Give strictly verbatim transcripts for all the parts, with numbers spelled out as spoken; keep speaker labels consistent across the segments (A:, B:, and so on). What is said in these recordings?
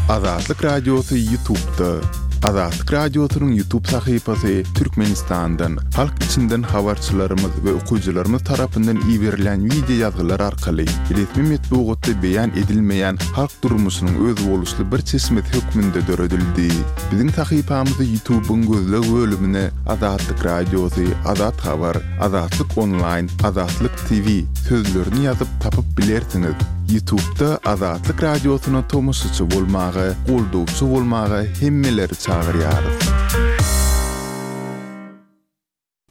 A: Azatlyk Radiosy YouTube'da. Azatlyk Radiosynyň YouTube sahypasy Türkmenistandan, halk içinden habarçylarymyz we okyjylarymyz tarapyndan iberilen wideo ýazgylar arkaly resmi metbugatda beýan edilmeýän halk durmuşynyň özboluşly bir çeşmesi hökmünde döredildi. Biziň sahypamyzy YouTube'yň gözleg bölümine Azatlyk Radiosy, Azat Habar, Azatlyk Online, Azatlyk T V sözlerini ýazyp tapyp bilersiňiz. YouTube'da Azatlyk Radiosyna tomaşaçy bolmaga, goldawçy bolmaga hemmeleri çagyrýarys.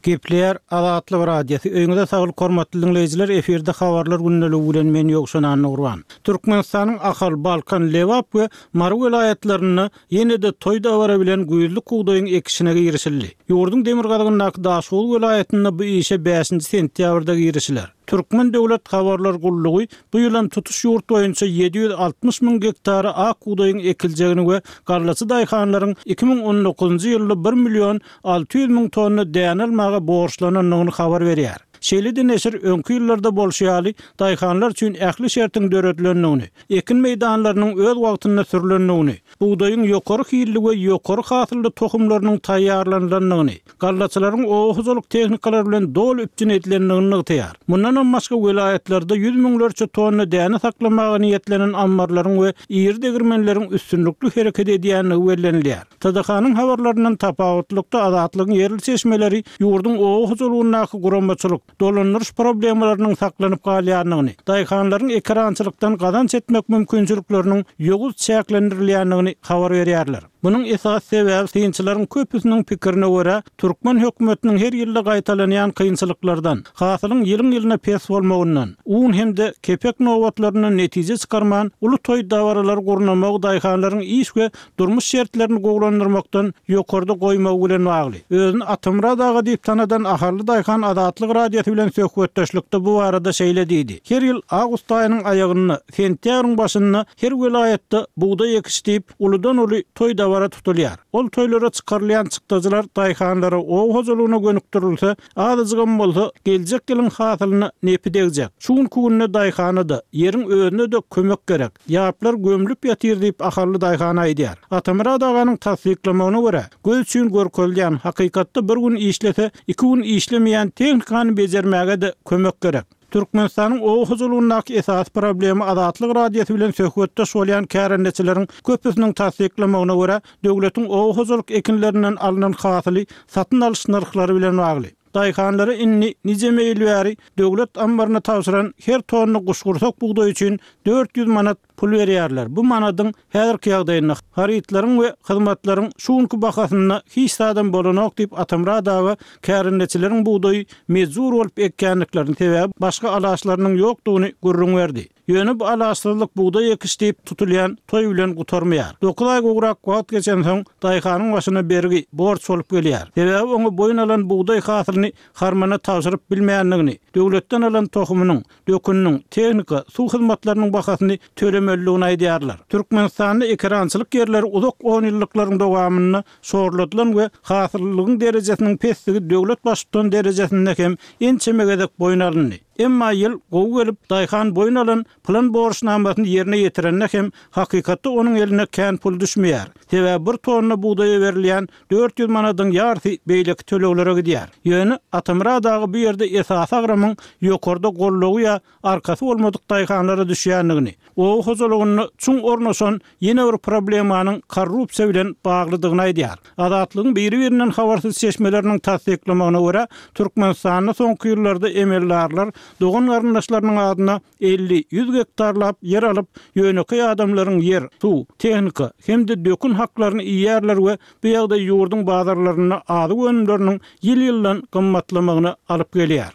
B: Gepleýär Azatlyk Radiosy. Öýüňize saglyk hormatly dinleýjiler, efirde habarlar gündeligi bilen men Ýowşan Annagurban. Türkmenistanyň Ahal, Balkan, Lebap we Mary welaýatlarynda ýene-de toý dabara bilen güýzlük bugdaýyň ekişine girişildi. Ýurduň demirgazygyndaky Daşoguz welaýatynda bu işe bäşinji sentýabrda girişiler. Türkmen döwlet habarlar gullugy bu ýylam tutuş ýurt boýunça ýedi ýüz altmyş müň gektara ak bugdaýyň ekiljegini we gallaçy daýhanlaryň iki müň on dokuzynjy ýylda bir million alty ýüz müň tonna däne almaga borçlanandygyny habar berýär. Şeýle-de neşir öňki ýyllarda bolşy ýaly daýhanlar üçin ähli şertiň döredilendigini, ekin meýdanlarynyň öz wagtynda sürülendigini, bugdaýyň ýokary hilli we ýokary hasylly tohumlarynyň taýýarlanylandygyny, gallaçylaryň oba hojalyk tehnikalary bilen doly üpjün edilendigini nygtaýar. Mundan hem başga welaýatlarda ýüz müňlerçe tonna däne saklamaga niýetlenen ammarlaryň we iri degirmenleriň üstünlikli hereket edýändigi bellenilýär. T D K-nyň habarlaryndan tapawutlykda Azatlygyň ýerli çeşmeleri ýurduň oba hojalygyndaky guramaçylyk, dolandyryş problemalarynyň saklanyp galýandygyny, daýhanlaryň ekerançylykdan gazanç etmek mümkinçilikleriniň ýowuz çäklendirilýändigini habar berýärler. Munuň esas sebäbi synçylaryň köpüsiniň pikirine görä, türkmen hökümetiniň her ýylda gaýtalanýan kynçylyklardan, hasylyň ýylyň-ýylyna pes bolmagyndan, un hem-de kepek nobatlaryndan netije çykarman, uly toý dabaralar gurnamagy daýhanlaryň iş we durmuş şertlerini gowulandyrmakdan ýokarda goýmagy bilen bagly. Özüni Atamyrat aga diýip tanadan Ahally daýhan Azatlyk Radiosy bilen söhbetdeşlikde bu barada şeýle diýdi. Her ýyl awgust aýynyň aýagynda, sentýabryň başynda her welaýatda bugdaý ekiş diýip, uludan uly toý dabara tutulýar. Ol toýlara çykarylýan çykdajylar daýhanlara oba hojalygyna gönükdirilse, azajygam bolsa geljek ýylyň hasylyna nepi degjek. Şu günki günde daýhana-da, ýeriň özüne-de kömek gerek. Ýaplar gömlüp ýatyr diýip Ahally daýhan aýdýar. Atamyrat aganyň tassyklamagyna görä, göz üçin görkezilýän hakykatda bir gün işlese, iki gün işlemeýän tehnikany bejermäge-de kömek gerek. Türkmenistanyň oba hojalygyndaky esasy problemi Azatlyk Radiosy bilen söhbetdeş bolýan kärendeçileriň köpüsiniň tassyklamagyna görä, döwletiň oba hojalyk ekinlerinden alnan hasyly satyn alyş nyrhlary bilen bagly. Daýhanlara indi nijeme ýyl bäri döwlet ammaryna tabşyran her tonna guşgursak bugdaý üçin dört ýüz manat pul berýärler. Bu manadyň häzirki ýagdaýynda harytlaryň we hyzmatlaryň şu günki bahasynda hiç zadam bolanok diýip Atamyrat aga kärendeçileriň bugdaýy mejbur bolup ekýändiklerini, sebäbi başga alaçlarynyň ýokdugyny gürrüň berdi. Ýöne bu alaçsyzlyk bugdaý ekiş diýip tutulýan toý bilen gutarmaýar. Dokuz aý gowrak wagt geçensoň daýhanyň başyna bergi borç bolup gelýär. Sebäbi oňa boýun alan bugdaý hasylyny harmana tabşyryp bilmeýändigini, döwletden alan tohumynyň, döküniniň, tehnika, suw hyzmatlarynyň bahasyny tölemelidigini aýdýarlar. Türkmenistanda ekerançylyk ýerleri uzak on ýyllyklaryň dowamynda şorladylan we hasyllylygyň derejesiniň pesligi döwlet baştutan derejesinde hem ençeme gezek boýun alyndy. Emma ýyl gowy gelip, daýhan boýun alan plan borçnamasyny ýerine ýetirende hem hakykatda onuň eline kän pul düşmeýär. Sebäbi bir tonna bugdaýa berilýän dört ýüz manadyň ýarysy beýleki töleglere gidýär. Ýöne Atamyrat aga bu ýerde esasy agramyň ýokarda gollugy ýa arkasy bolmadyk daýhanlara düşýändigini, oba hojalygynda çuň ornaşan ýene bir problemanyň korrupsiýa bilen baglydygyny aýdýar. Azatlygyň biri-birinden habarsyz çeşmeleriniň tassyklamagyna görä, Türkmenistanda soňky ýyllarda emeldarlar dogan garyndaşlarynyň adyna elli, ýüz gektarlap ýer alyp, ýönekeý adamlaryň ýer, suw, tehnika hem-de dökün haklaryny iýýärler we bu ýagdaý ýurduň bazarlarynda azyk önümleriniň ýyl-ýyldan gymmatlamagyna alyp gelýär.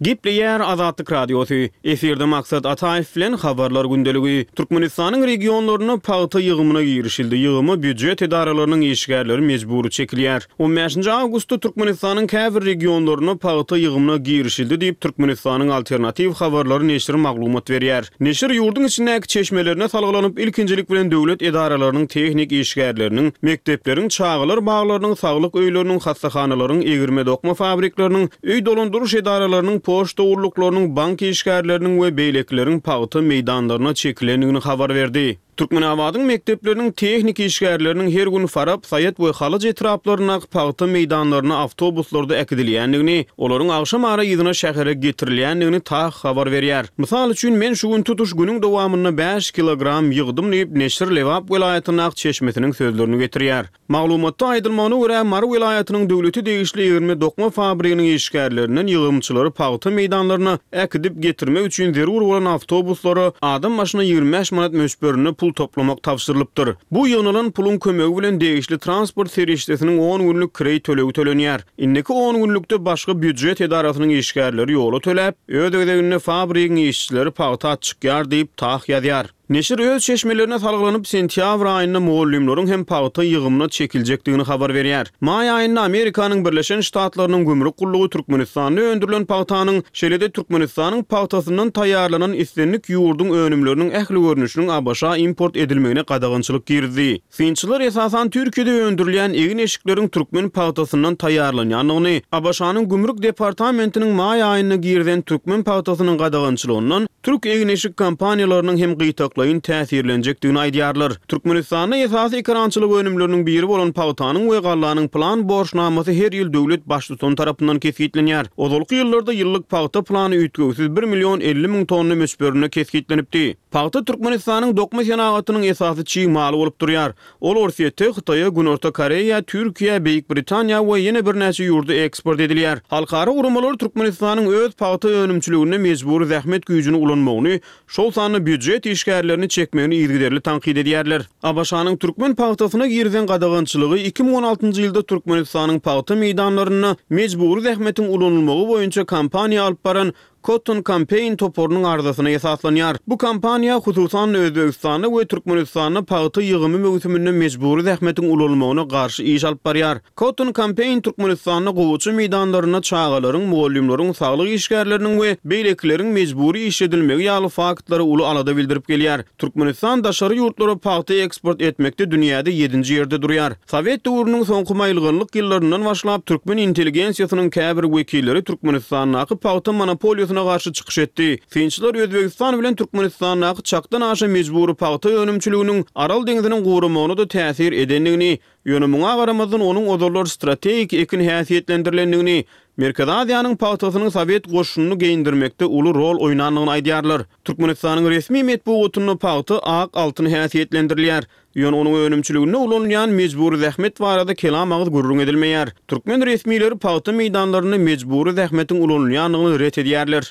C: Gepleýär Azatlyk Radiosy. Efirde Maksat Ataýew bilen habarlar gündeligi. Türkmenistanyň regionlarynda pagta ýygymyna girişildi. Ýygyma býujet edaralarynyň işgärleri mejbury çekilýär. On bäşinji awgustda Türkmenistanyň käbir regionlarynda pagta ýygymyna girişildi diýip, Türkmenistanyň Alternatiw habarlary neşiri maglumat berýär. Neşir ýurduň içindäki çeşmelerine salgylanyp, ilkinjilik bilen döwlet edaralarynyň tehnik işgärleriniň, mekdepleriň, çagalar baglarynyň, saglyk öýleriniň, hassahanalaryň, egirme-dokma fabrikleriniň, öý dolandyryş edaralarynyň poçta gulluklarynyň, bank işgärleriniň we beýlekileriň pagta meýdanlaryna çekilendigini habar berdi. Türkmenabadyň mekdepleriniň tehniki işgärleriniň her gün Farap, Saýat we Halaç etraplaryndaky pagta meýdanlaryna awtobuslarda äkidilýändigini, olaryň agşam ara yzyna şähere getirilýändigini TAH habar berýär. Mysal üçin, men şu gün tutuş günüň dowamynda bäş kilogram ýygdym diýip, neşir Lebap welaýatyndaky çeşmesiniň sözlerini getirýär. Maglumatda aýdylmagyna görä, Mary welaýatynyň döwlete degişli egirme-dokma fabriginiň işgärlerinden ýygymçylary pagta meýdanlaryna äkidip getirmek üçin zerur bolan awtobuslara adam başyna ýigrimi bäş manat möçberinde pul toplamak tabşyrylypdyr. Bu ýygnalan puluň kömegi bilen degişli transport serişdesiniň on günlük kireý tölegi tölenýär. Indiki on günlükde başga býujet edarasynyň işgärleri ýola töläp, öz gezeginde fabrigiň işçileri pagta atçykýar diýip, TAH ýazýar. Neşir öz çeşmelerine salgylanyp, sentýabr aýynda mugallymlaryň hem pagta ýygymyna çekiljekdigini habar berýär. Maý aýynda Amerikanyň Birleşen Ştatlarynyň gümrük gullugy Türkmenistanda öndürilen pagtanyň, şeýle-de Türkmenistanyň pagtasyndan taýýarlanan islendik ýurduň önümleriniň ähli görnüşiniň ABŞ-a import edilmegine gadagançylyk girizdi. Synçylar esasan Türkiýede öndürilýän egin-eşikleriň türkmen pagtasyndan taýýarlanýandygyny, ABŞ-nyň Gümrük departamentiniň maý aýynda girizen türkmen pagtasynyň gadagançylygyndan türk egin-eşik kompaniýalarynyň hem gytaklaýyn täsirlenjekdigini aýdýarlar. Türkmenistanda esasy ekerançylyk önümleriniň biri bolan pagtanyň we gallanyň plan borçnamasy her ýyl döwlet baştutany tarapyndan kesgitlenýär. Ozalky ýyllarda ýyllyk pagta plany üýtgewsiz bir million elli müň tonna möçberinde kesgitlenipdi. Pagta Türkmenistanyň dokma senagatynyň esasy çig maly bolup durýar. Ol Orsýete, Hytaýa, Günorta Koreýa, Türkiýä, Beýik Britaniýa we ýene birnäçe ýurda eksport edilýär. Halkara guramalar Türkmenistanyň öz pagta önümçiliginde mejbury zähmet güýjüni ulanmagyny, şol sanda býujet işgärlerini çekmegini yzygiderli tankyt edýärler. ABŞ-nyň türkmen pagtasyna girizen gadagançylygy iki müň on altynjy ýylda Türkmenistanyň pagta meýdanlarynda mejbury zähmetiň ulanylmagy boýunça kampaniýa alyp baran Cotton Campaign toparynyň arzasyna esaslanýar. Bu kampaniýa, hususan-da, Özbegistanda we Türkmenistanda pagta ýygymy möwsüminde mejbury zähmetiň ulanylmagyna garşy iş alyp barýar. Cotton Campaign Türkmenistanda gowaça meýdanlarynda çagalaryň, mugallymlaryň, saglyk işgärleriniň we beýlekileriň mejbury işledilmegi ýaly faktlara uly alada bildirip gelýär. Türkmenistan daşary ýurtlara pagta eksport etmekde dünýäde ýedinji ýerde durýar. Sowet döwrüniň soňky maýylganlyk ýyllaryndan başlap türkmen intelligensiýasynyň käbir wekilleri Türkmenistandaky pagta monopoliýasyna garşy çykyş etdi. Synçylar Özbegistan bilen Türkmenistandaky çakdan aşa mejbury pagta önümçiliginiň Aral deňziniň guramagyna-da täsir edendigini, ýöne muňa garamazdan onuň ozallar strategik ekin häsiýetlendirilendigini, Merkezi Aziýanyň pagtasynyň sowet goşunyny geýindirmekde uly rol oýnandygyny aýdýarlar. Türkmenistanyň resmi metbugatynda pagta ak altyn häsiýetlendirilýär. Ýöne onuň önümçiliginde ulanylýan mejbury zähmet barada kelam agyz gürrüň edilmeýär. Türkmen resmileri pagta meýdanlarynda mejbury zähmetiň ulanylýandygyny ret edýärler.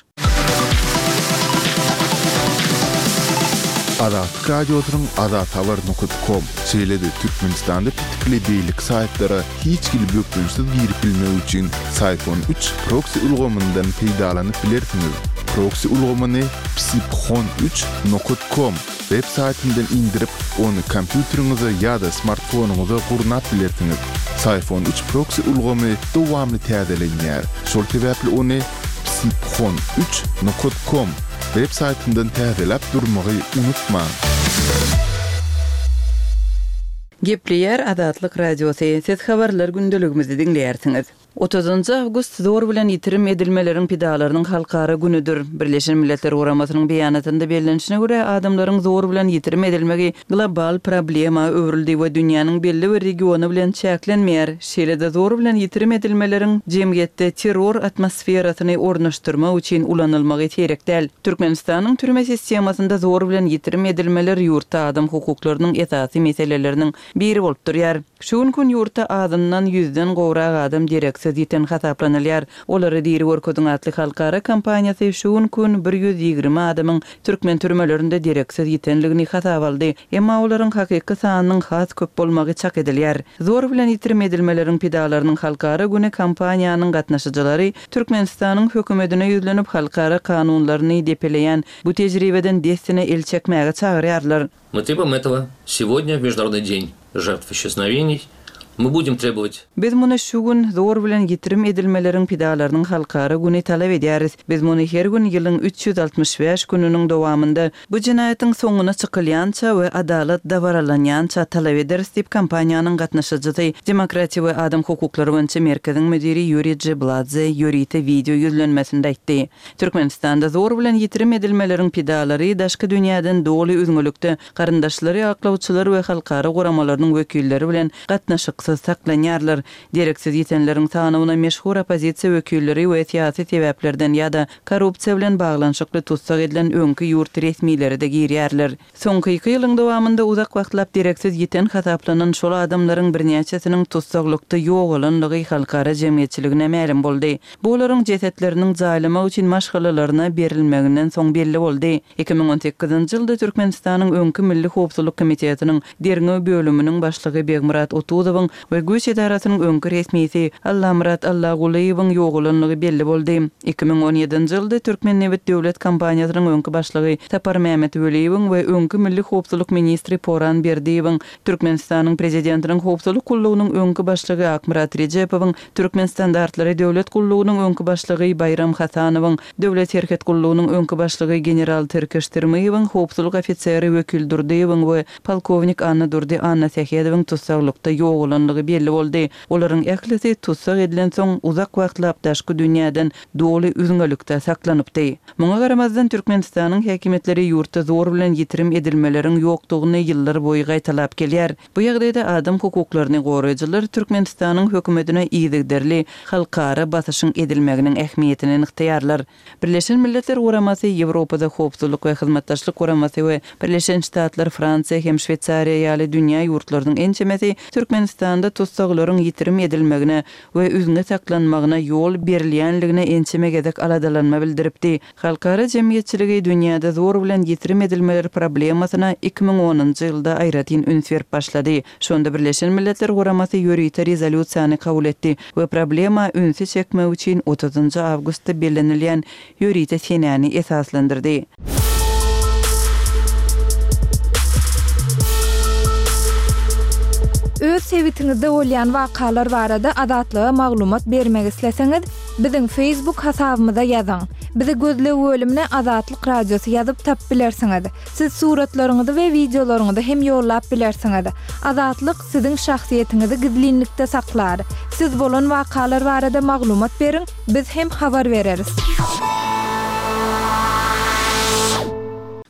A: Azatlyk Radiosynyň azathabar nokat kom, şeýle-de Türkmenistanda petikli beýleki saýtlara hiç hili bökdençsiz girip bilmek üçin Syfon üç proksi ulgamyndan peýdalanyp bilersiňiz. Proksi ulgamyny psiphon üç nokat kom web saýtyndan indirip, ony kompýuteriňize ýa-da smartfonyňyza gurnap bilersiňiz. Syfon üç proksi ulgamy dowamly täzelenýär. Şol sebäpli ony psiphon üç nokat kom web saýtyndan täzeläp durmagy unutmaň.
D: Gepleýär Azatlyk Radiosy, siz habarlar gündeligimizi diňleýärsiňiz. Otuzynjy awgust zor bilen ýitirim edilmeleriň pidalarynyň halkara günüdir. Birleşen Milletler Guramasynyň beýanatynda bellenişine görä, adamlaryň zor bilen ýitirim edilmegi global problema öwrüldi we dünýäniň belli bir regiony bilen çäklenmeýär. Şeýle-de zor bilen ýitirim edilmeleriň jemgyýetde terror atmosferasyny ornaşdyrmak üçin ulanylmagy seýrek däl. Türkmenistanyň türme sistemasynda zor bilen ýitirim edilmeler ýurtda adam hukuklarynyň esasy meseleleriniň biri bolup durýar. Şu gün gün ýurtda azyndan ýüzden gowrak adam dereksiz ýiten hasaplanylýar. Olary diri görkezin atly halkara kampaniýasy şu gün gün bir ýüz ýigrimi adamyň türkmen türmelerinde dereksiz ýitenligini hasap aldy. Emma olaryň hakyky sanynyň has köp bolmagy çak edilýär. Zor bilen ýitirim edilmeleriň pidalarynyň halkara güni kampaniýanyň gatnaşyjylary Türkmenistanyň hökümetine ýüzlenip halkara kanunlaryny depeleýän bu tejribeden dessine el çekmäge çagyrýarlar.
E: Мы требуем этого сегодня, в Международный день жертв исчезновений, Мы будем требовать.
D: Biz muny şu gün zor bilen ýitirim edilmeleriň pidalarynyň halkara güni talap edýäris. Biz muny her gün ýylyň üç ýüz altmyş bäş gününiň dowamynda bu jenaýatyň soňuna çykylýança we adalat dabaralanýança talap ederis diýip kampaniýanyň gatnaşyjysy Demokratiýa we adam hukuklary boýunça merkeziň müdiri Ýuriý Jebladze ýörite wideo ýüzlenmesinde aýtdy. Türkmenistanda zor bilen ýitirim edilmeleriň pidalary daşky dünýäden doly üzňelikde garyndaşlary, aklawçylar we halkara guramalarynyň wekilleri bilen gatnaşyksyz saklanýarlar. Dereksiz ýitenleriň sanyna meşhur oppozisiýa wekilleri we syýasy sebäplerden ýa-da korrupsiýa bilen baglanyşykly tutsak edilen öňki ýurt resmileri de girýärler. Soňky iki ýylyň dowamynda uzak wagtlap dereksiz ýiten hasaplanan şol adamlaryň birnäçesiniň tutsaklykda ýogalanlygy halkara jemgyýetçiligine mälim boldy. Bu olaryň jesetleriniň jaýlamak üçin maşgalalaryna berilmeginden soň belli boldy. Iki müň on sekizinji ýylda Türkmenistanyň öňki Milli Howpsuzlyk Komitetiniň derňew bölüminiň başlygy Begmyrat Otuzowyň we güýç edarasynyň öňki resmisi Allamyrat Allagulyýewiň ýogalanlygy belli boldy. Iki müň on ýedinji ýylda Türkmennebit döwlet kompaniýasynyň öňki başlygy Sapar Mehmet Weliýewiň we öňki Milli Howpsuzlyk ministri Poran Berdiýewiň, Türkmenistanyň prezidentiniň Howpsuzlyk gullugynyň öňki başlygy Akmyrat Rejepowyň, Türkmen standartlary döwlet gullugynyň öňki başlygy Baýram Hasanowyň, Döwlet serhet gullugynyň öňki başlygy general Tirkeş Tirmiýewiň, howpsuzlyk ofiseri Wekil Durdyýewiň we polkownik Anna Durdy Anna Sähedowyň tutsaklykda ýogalanlygy belli boldy. Olaryň ählisi tutsak edilen soň uzak wagtlap daşky dünýäden doly üzňelikde saklanypdy. Muňa garamazdan Türkmenistanyň häkimiýetleri ýurtda zor bilen ýitirim edilmeleriň ýokdugyny ýyllar boýy gaýtalap gelýär. Bu ýagdaýda adam hukuklaryny goraýjylar Türkmenistanyň hökümetine yzygiderli halkara basyşyň edilmeginiň ähmiýetini nygtaýarlar. Birleşen Milletler Guramasy, Ýewropada Howpsuzlyk we Hyzmatdaşlyk Guramasy we Birleşen Ştatlar, Fransiýa hem Şweýsariýa ýaly dünýä ýurtlarynyň ençemesi Türkmenistanda tussaglaryň ýitirim edilmegine we üzňe saklanmagyna ýol berilýänligine ençeme gezek aladalanma bildiripdi. Halkara jemgyýetçiligi dünýäde zor bilen ýitirim edilmeler problemasyna iki müň onunjy ýylda aýratyn üns berip başlady. Şonda Birleşen Milletler Guramasy ýörite rezolýusiýany kabul etdi we problema ünsi çekmek üçin otuzynjy awgustda bellenilýän ýörite senäni esaslandyrdy.
F: Öz sebitiňizde bolýan wakalar barada Azatlyga maglumat bermek isleseňiz, biziň Facebook hasabymyza ýazyň. Bizi gözleg bölümine Azatlyk Radiosy ýazyp tap bilersiňiz. Siz suratlaryňyzy we wideolaryňyzy hem ýollap bilersiňiz. Azatlyk siziň şahsyýetiňizi gizlinlikde saklar. Siz bolan wakalar barada maglumat beriň, biz hem habar bereris.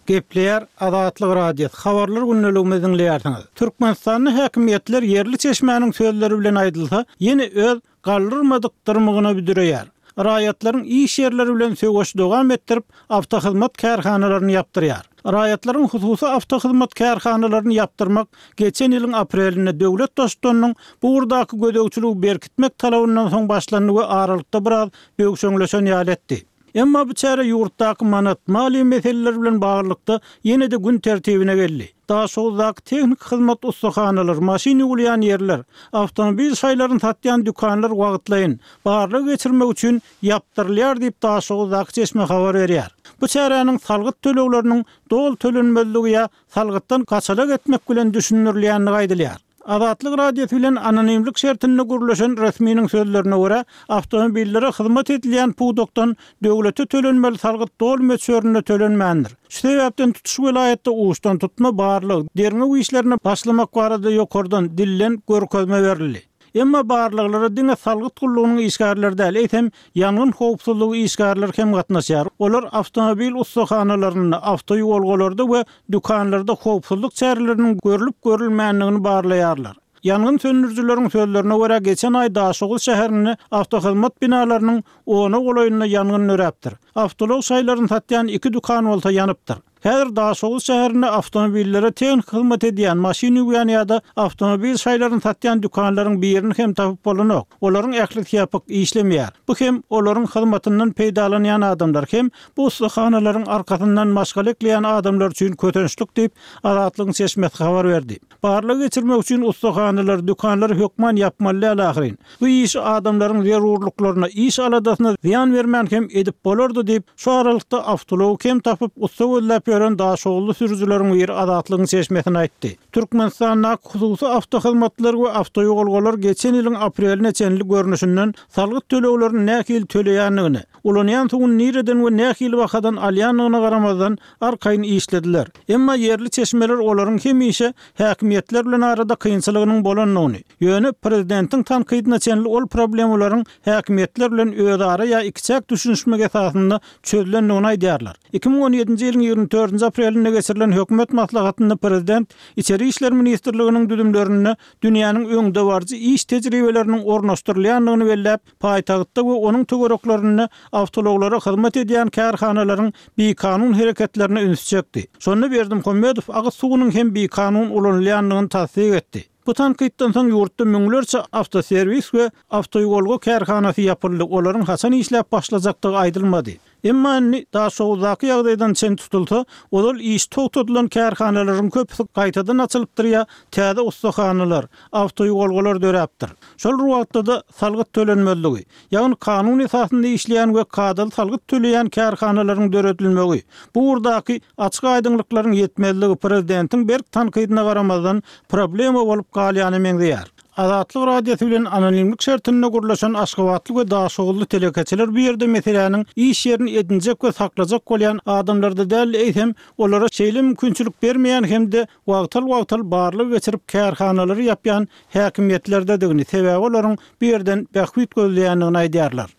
B: Gepleýär Azatlyk Radiosy. Habarlar gündeligimizi diňleýärsiňiz. Türkmenistanyň häkimiýetler ýerli çeşmäniň sözleri bilen aýdylsa, ýene öz galdyrmadyk dyrmygyna büdüreýär. Raýatlaryň iş ýerleri bilen söweş dowam etdirip, awtohyzmat kärhanalaryny ýapdyrýar. Raýatlaryň hususy awtohyzmat kärhanalaryny ýapdyrmak geçen ýylyň aprelinde döwlet baştutanynyň bu ugurdaky gözegçiligi berkitmek talabyndan soň başlandy we aralykda biraz böwşeňleşen ýaly etdi. Emma bu çäre ýurtdaky manat maliýe meseleleri bilen baglylykda ýene-de gün tertibine geldi. Daşoguzdaky tehnik hyzmat ussahanalary, maşyn ýuwulýan ýerler, awtomobil şaýlaryny satýan dükanlar wagtlaýyn barlag geçirmek üçin ýapdyrylýar diýip Daşoguzdaky çeşme habar berýär. Bu çäräniň salgyt tölegleriniň doly tölenmezligi ýa salgytdan gaçalak etmek bilen düşündirilýänligi aýdylýar. Azatlyk Radiosy bilen anonimlik şertinde gurluşan resminiň sözlerine görä, awtomobillere hyzmat edilýän pudakdan döwlete tölenmeli salgyt doly möçberinde tölenmändir. Şu sebäpden tutuş welaýatda uçdan tutma barlyk, derňew işlerine başlamak barada ýokardan dillen görkezme berildi. Emma barlyklara diňe salgyt gullugynyň işgärleri däl, eýsem ýangyn howpsuzlygy işgärleri hem gatnaşýar. Olar awtomobil ussahanalarynda, awtoýolgalarda we dükanlarda howpsuzlyk çäreleriniň görlüp görülmändigini barlaýarlar. Ýangyn söndürijileriň sözlerine görä geçen aý Daşoguz şäherinde awtohyzmat binalarynyň ona golaýynda ýangyn döräpdir. Awtoulag şaýlaryny satýan iki dükan bolsa ýanypdyr. Häzir Daşoguz şäherinde awtomobillere tehnik hyzmat edýän, maşyn ýuwýan ýa-da awtomobil şaýlaryny satýan dükanlaryň birini hem tapyp bolanok. Olaryň ählisi ýapyk işlemeýär. Bu hem olaryň hyzmatyndan peýdalanýan adamlar hem bu ussahanalaryň arkasyndan maşgala ekleýän adamlar üçin kötençlik diýip Azatlygyň çeşmesi habar berdi. Barlag geçirmek üçin ussahanalar, dükanlar hökman ýapmaly däl ahyryn. Bu iş adamlaryň zerurlyklaryna, iş aladasyna zyýan bermän hem edip bolardy diýip, şu aralykda awtoulagy kem tapyp ussa gözläp ýören daşoguzly sürüjileriň biri Azatlygyň çeşmesine aýtdy. Türkmenistandaky hususy awtohyzmatlar we awtoýolgalar geçen ýylyň apreline çenli görnüşinden salgyt töleglerini nähili töleýändigini, ulanýan suwuny nireden we nähili bahadan alýandygyna garamazdan arkaýyn işlediler. Emma ýerli çeşmeler olaryň hemişe häkimiýetler bilen arada kynçylygynyň bolandygyny, ýöne prezidentiň tankydyna çenli ol problemalaryň häkimiýetler bilen özara ýa ikiçäk düşünişmek esasynda çözülendigini aýdýarlar. Iki müň on ýedinji ýylyň ýigrimi dördünji aprelinde geçirilen hökümet maslahatynda prezident Içeri işler ministrliginiň düzümlerinde dünýäniň öňdebaryjy iş tejribeleriniň ornaşdyrylýandygyny belläp, paýtagtda we onuň töwereklerinde awtoulaglara hyzmat edýän kärhanalaryň bikanun hereketlerine üns çekdi. Şonda Berdimuhamedow agyz suwunyň hem bikanun ulanylýandygyny tassyk etdi. Bu tankytdan soň ýurtda müňlerçe awtoserwis we awtoýolga kärhanasy ýapyldy, olaryň haçan işläp başlajakdygy aýdylmady. Emma indi Daşoguzdaky ýagdaýdan çen tutulsa, ozal iş togtadylan kärhanalaryň köpüsi gaýtadan açylypdyr ýa täze ussahanalar, awtoýolgalar döräpdir. Şol bir wagtda-da salgyt tölenmezligi, ýagny kanun esasynda işleýän we kadaly salgyt töleýän kärhanalaryň döredilmegi, bu ugurdaky açyk aýdyňlyklaryň ýetmezligi prezidentiň berk tankydyna garamazdan problema bolup galýana meňzeýär. Azatlyk Radiosy bilen anonimlik şertinde gurlaşan Aşgabatly we Daşoguzly telekeçiler bu ýerde meseläniň iş ýerini edinjek we saklajak bolýan adamlarda däl, eýsem olara şeýle mümkinçilik bermeýän hem-de wagtal-wagtal barlyk geçirip kärhanalary ýapýan häkimiýetlerdedigini, sebäbi olaryň bu ýerden bähbit gözleýändigini aýdýarlar.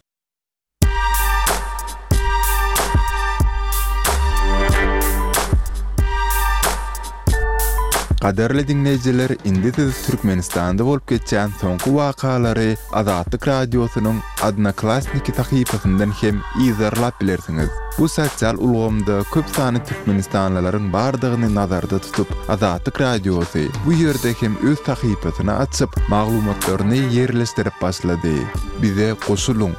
A: Gadyrly diňleýjiler, indi siz Türkmenistanda bolup geçýän soňky wakalary Azatlyk Radiosynyň Odnoklassniki sahypasyndan hem yzarlap bilersiňiz. Bu sosial ulgamda köp sanly türkmenistanlylaryň bardygyny nazarda tutup, Azatlyk Radiosy bu ýerde hem öz sahypasyny açyp, maglumatlaryny ýerleşdirip başlady. Bize goşulyň!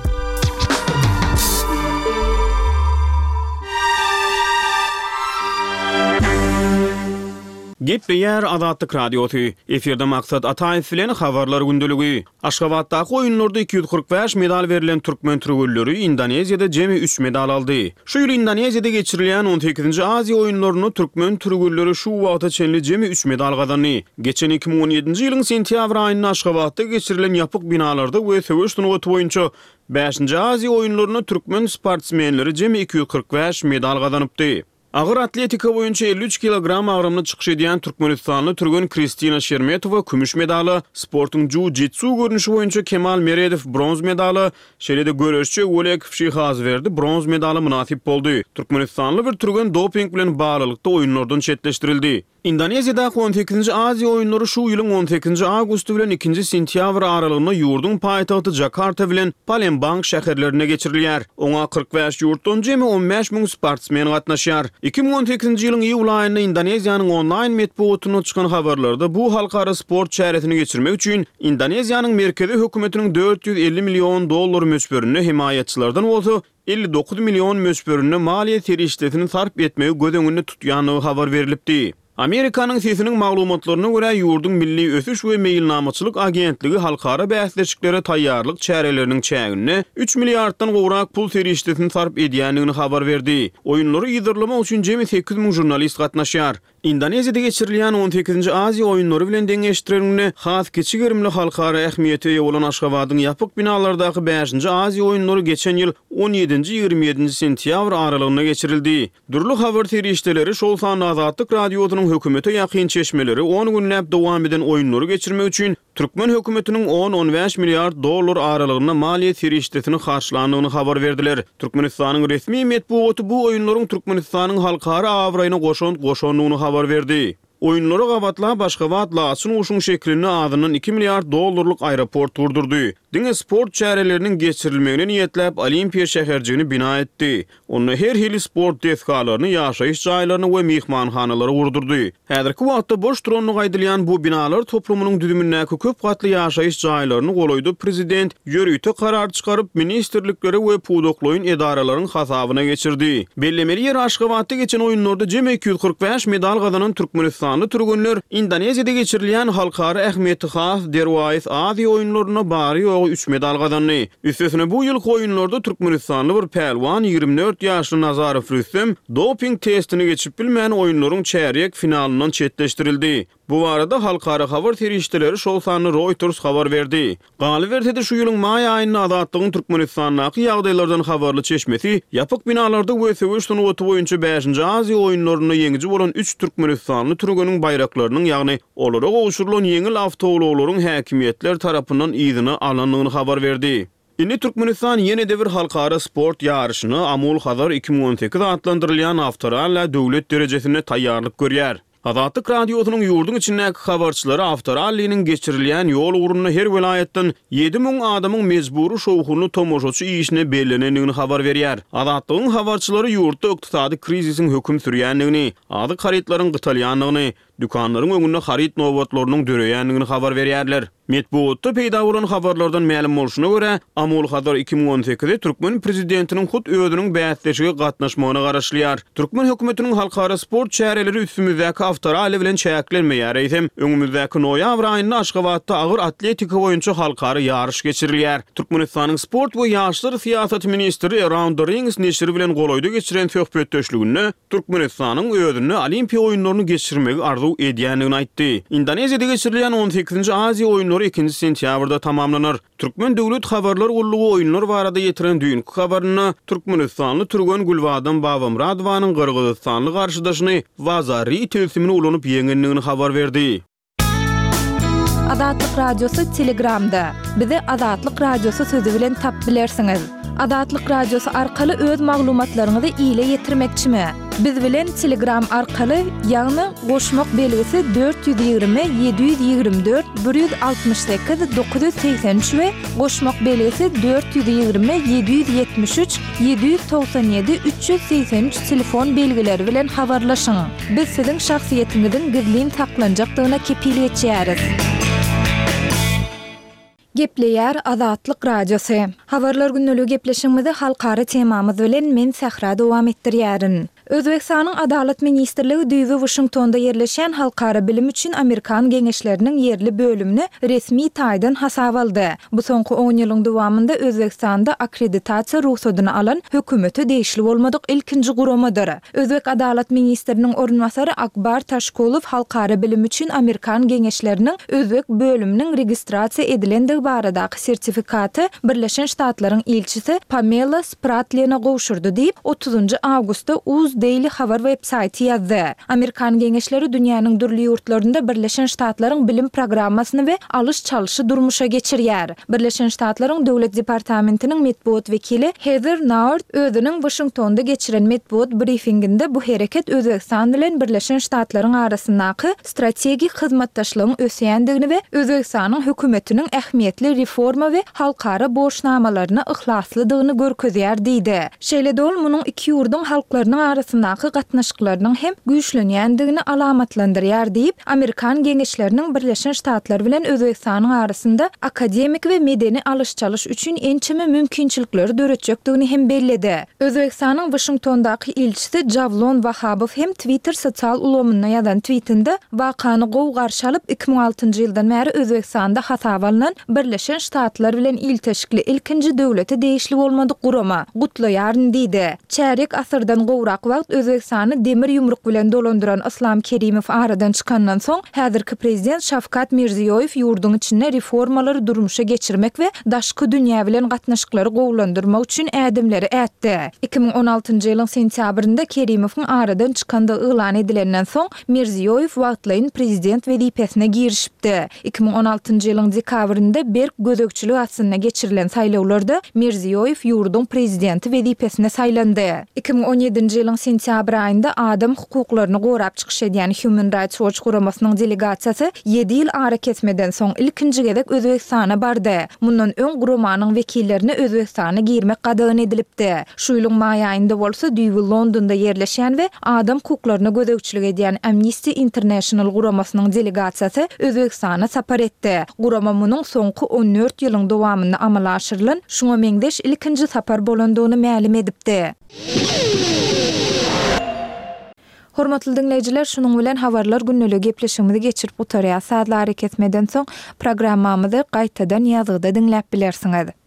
C: Gepleýär Azatlyk Radiosy. Efirde Maksat Ataýew bilen Habarlar gündeligi. Aşgabatdaky oýunlarda iki ýüz kyrk bäş medal berlen türkmen türgenleri Indoneziýada jemi üç medal aldy. Şu ýyl Indoneziýada geçirilýän on sekizinji Aziýa oýunlarynda türkmen türgenleri şu wagta çenli jemi üç medal gazandy. Geçen iki müň on ýedinji ýylyň sentýabr aýynda Aşgabatda geçirilen ýapyk binalarda we söweş sungaty boýunça bäşinji Aziýa oýunlarynda türkmen sportsmenleri jemi iki ýüz kyrk bäş medal gazanypdy. Agyr atletika boýunça elli üç kilogram agramda çykyş edýän türkmenistanly türgen Kristina Şermetowa kümüş medala, sportuň jiu-jitsu görnüşi boýunça Kemal Meredow bronz medala, şeýle-de göreşçi Öwelekow Şyhazberdi bronz medala mynasyp boldy. Türkmenistanly bir türgen doping bilen baglylykda oýunlardan çetleşdirildi. Indoneziýadaky on sekizinji Aziýa oýunlary şu ýylyň on sekizinji awgusty bilen ikinji sentýabr aralygynda ýurduň paýtagty Jakarta bilen Palembang şäherlerinde geçirilýär. Oňa kyrk bäş ýurtdan jemi on bäş müň sportsmen gatnaşýar. Iki müň on sekizinji ýylyň iýul aýynda Indoneziýanyň onlaýn metbugatynda çykan habarlarda bu halkara sport çäresini geçirmek üçin Indoneziýanyň merkezi hökümetiniň dört ýüz elli million dollar möçberinde hemaýatçylardan bolsa elli dokuz million möçberinde maliýe serişdesini sarp etmegi göz öňünde tutýandygy habar berlipdi. Amerikanyň sesiniň maglumatlaryna görä, ýurduň Milli ösüş we meýilnamaçylyk agentligi halkara bäsleşiklere taýýarlyk çäreleriniň çäginde üç milliarddan gowrak pul serişdesini sarp edýändigini habar berdi. Oýunlary yzarlamak üçin jemi sekiz müň žurnalist gatnaşýar. Indoneziýada geçirilýän on sekizinji Aziýa oýunlary bilen deňeşdirilende has kiçi gerimli halkara ähmiýete eýe bolan Aşgabadyň ýapyk binalardaky bäşinji Aziýa oýunlary geçen ýyl on ýedinji ýigrimi ýedinji sentýabr aralygynda geçirildi. Dürli habar serişdeleri, şol sanda Azatlyk Radiosynyň hökümete ýakyn çeşmeleri on günläp dowam eden oýunlary geçirmek üçin türkmen hökümetiniň on-on bäş milliard dollar aralygynda maliýe serişdesini harçlandygyny habar berdiler. Türkmenistanyň resmi metbugaty bu oýunlaryň Türkmenistanyň halkara abraýyna goşant goşandygyny habar berdi. Oýunlara gabatlap Aşgabat laçyn guşuň şeklinde azyndan iki milliard dollarlyk aeroport gurdurdy. Diňe sport çäreleriniň geçirilmegine niýetläp Olimpiýa şäherjigini bina etdi. Onda her hili sport desgalaryny, ýaşaýyş jaýlaryny we myhmanhanalary gurdurdy. Häzirki wagtda boş durandygy aýdylýan bu binalar toplumynyň düzümindäki köp gatly ýaşaýyş jaýlaryny golaýda prezident ýörite karar çykaryp, ministrlikleri we pudaklaýyn edaralaryň hasabyna geçirdi. Bellemeli ýeri Aşgabatda geçen oýunlarda jemi iki ýüz kyrk bäş medal gazanan türkmenistanly türgenler Indoneziýada geçirilýän halkara ähmiýeti has derwaýys Aziýa oýunlarynda bary-ýogy bary-ýogy üç medal gazandy. Üstesine bu ýylky oýunlarda türkmenistanly bir pälwan ýigrimi dört ýaşly Nazarow Rüstem doping testini geçip bilmän oýunlaryň çärýek finalyndan çetleşdirildi. Bu barada halkara habar serişdeleri, şol sanda Reuters habar berdi. Galyberse-de, şu ýylyň maý aýynda Azatlygyň Türkmenistandaky ýagdaýlardan habarly çeşmesi ýapyk binalarda we söweş sungaty boýunça bäşinji Aziýa oýunlarynda ýeňiji bolan üç türkmenistanly türgeniň baýraklarynyň, ýagny olara gowşurylan ýeňil awtoulaglaryň häkimiýetler tarapyndan yzyna alnandygyny habar berdi. Indi Türkmenistan ýene-de bir halkara sport ýaryşyna, Amul-Hazar iki müň on sekiz atlandyrylýan awtoralla döwlet derejesinde taýýarlyk görýär. Azatlyk Radiosynyň ýurduň içindäki habarçylary awtoralliniň geçirilýän ýol ugrunda her welaýatdan ýedi müň adamyň mejbury şowhunly tomaşaçy işine bellenendigini habar berýär. Azatlygyň habarçylary ýurtda ykdysady krizisiň höküm sürýändigini, azyk harytlaryň gytalýandygyny, dükanlaryň öňünde haryt nobatlarynyň döreýändigini habar berýärler. Metbugatda peýda bolan habarlardan mälim bolşuna görä, Amul-Hazar iki müň on sekize türkmen prezidentiniň hut özüniň bäsleşige gatnaşmagyna garaşylýar. Türkmen hökümetiniň halkara sport çäreleri üstümizdäki awtoralli bilen çäklenmeýär, eýsem, öňümizdäki noýabr aýynda Aşgabatda agyr atletika boýunça halkara ýaryş geçirilýär. Türkmenistanyň sport we ýaşlar syýasaty ministri Around the Rings neşiri bilen golaýda geçiren söhbetdeşliginde Türkmenistanyň özünde Olimpiýa oýunlaryny geçirmegi arzuw edýändigini aýtdy. Indoneziýada geçirilýän on sekizinji Aziýa oýunlary ikinji sentýabrda tamamlanar. Türkmen döwlet habarlar gullugy oýunlar barada ýetiren düýnki habarynda türkmenistanly türgen Gülbadam Babamyradowanyň gyrgyzystanly garşydaşyny Wazari tilsimini ulanyp ýeňendigini habar berdi.
F: Azatlyk Radiosy Telegramda. Bizi Azatlyk Radiosy sözi bilen tap bilersiňiz. Azatlyk Radiosy arkaly öz maglumatlaryňyzy ile ýetirmekçimi? Biz bilen Telegram arkaly, ýagny goşmak belgisi dört ýüz ýigrimi, ýedi ýüz ýigrimi dört, bir ýüz altmyş sekiz, dokuz ýüz segsen üç we goşmak belgisi dört ýüz ýigrimi, ýedi ýüz ýetmiş üç, ýedi ýüz togsan ýedi, üç ýüz segsen üç telefon belgileri bilen habarlaşyň. Biz siziň şahsyýetiňiziň gizlin saklanjakdygyna kepil geçýäris. Gepleýär Azatlyk Radiosy. Habarlar gündeligi gepleşigimizi halkara temamyz bilen men Sähra dowam etdirýärin. Özbegistanyň Adalat ministrligi düýbi Washingtonda ýerleşýän Halkara bilim üçin Amerikan geňeşleriniň ýerli bölümini resmi taýdan hasap aldy. Bu soňky on ýylyň dowamynda Özbegistanda akkreditasiýa rugsadyny alan hökümete degişli bolmadyk ilkinji guramadyr. Özbek Adalat ministriniň orunbasary Akbar Taşkulow Halkara bilim üçin Amerikan geňeşleriniň Özbek bölüminiň registrasiýa edilendigi baradaky sertifikaty Birleşen Ştatlaryň ilçisi Pamela Spratlene gowşurdy diýip, otuzynjy awgustda Uz Daily habar web-saýty ýazdy. Amerikan geňeşleri dünýäniň dürli ýurtlarynda Birleşen Ştatlaryň bilim programmasyny we alyş-çalyşy durmuşa geçirýär. Birleşen Ştatlaryň Döwlet departamentiniň metbugat wekili Heather Nauert özüniň Washingtonda geçiren metbugat briefinginde bu hereket Özbegistan bilen Birleşen Ştatlaryň arasyndaky strategik hyzmatdaşlygyň ösýändigini we Özbegistanyň hökümetiniň ähmiýetli reforma we halkara borçnamalaryna yhlaslydygyny görkezýär diýdi. Şeýle-de ol munuň iki ýurduň halklarynyň arasyndaky gatnaşyklarynyň hem güýçlenýändigini alamatlandyrýar diýip, Amerikan geňeşleriniň Birleşen Ştatlar bilen Özbegistanyň arasynda akademik we medeni alyş-çalyş üçin ençeme mümkinçilikleri döretjekdigini hem belledi. Özbegistanyň Washingtondaky ilçisi Javlon Wahabow hem Twitter sosial ulgamynda ýazan tweetinde wakany gowy garşy alyp, iki müň altynjy ýyldan bäri Özbegistanda hasaba alnan Birleşen Ştatlar bilen ilteşikli ilkinji döwlete degişli bolmadyk gurama gutlaýaryn diýdi. Çärýek asyrdan gowrak wagt Özbegistany demir ýumruk bilen dolandyran Islam Kerimow aradan çykandan soň, häzirki prezident Şawkat Mirziýoýew ýurduň içinde reformalary durmuşa geçirmek we daşky dünýä bilen gatnaşyklary gowulandyrmak üçin ädimleri ätdi. Iki müň on altynjy ýylyň sentýabrynda Kerimowyň aradan çykandygy yglan edilenden soň, Mirziýoýew wagtlaýyn prezident wezipesine girişipdi. Iki müň on altynjy ýylyň dekabrynda berk gözegçilik astynda geçirilen saýlawlarda Mirziýoýew ýurduň prezidenti wezipesine saýlandy. Iki müň on ýedinji ýylyň sentýabr aýynda adam hukuklaryny gorap çykyş edýän Human Rights Watch guramasynyň delegasiýasy ýedi ýyl arakesmeden soň ilkinji gezek Özbegistana bardy. Mundan öň guramanyň wekillerine Özbegistana girmek gadagan edilipdi. Şu ýylyň maý aýynda bolsa düýbi Londonda ýerleşýän we adam hukuklaryna gözegçilik edýän Amnesty International guramasynyň delegasiýasy Özbegistana sapar etdi. Gurama munuň soňky on dört ýylyň dowamynda amala aşyrylan şuňa meňzeş ilkinji sapar bolandygyny mälim edipdi. Hormatly diňleýjiler, şunuň bilen habarlar gündeligi gepleşigimizi geçirip gutarýas. Sazly arakesmeden soň programmamyzy gaýtadan ýazgyda diňläp bilersiňiz.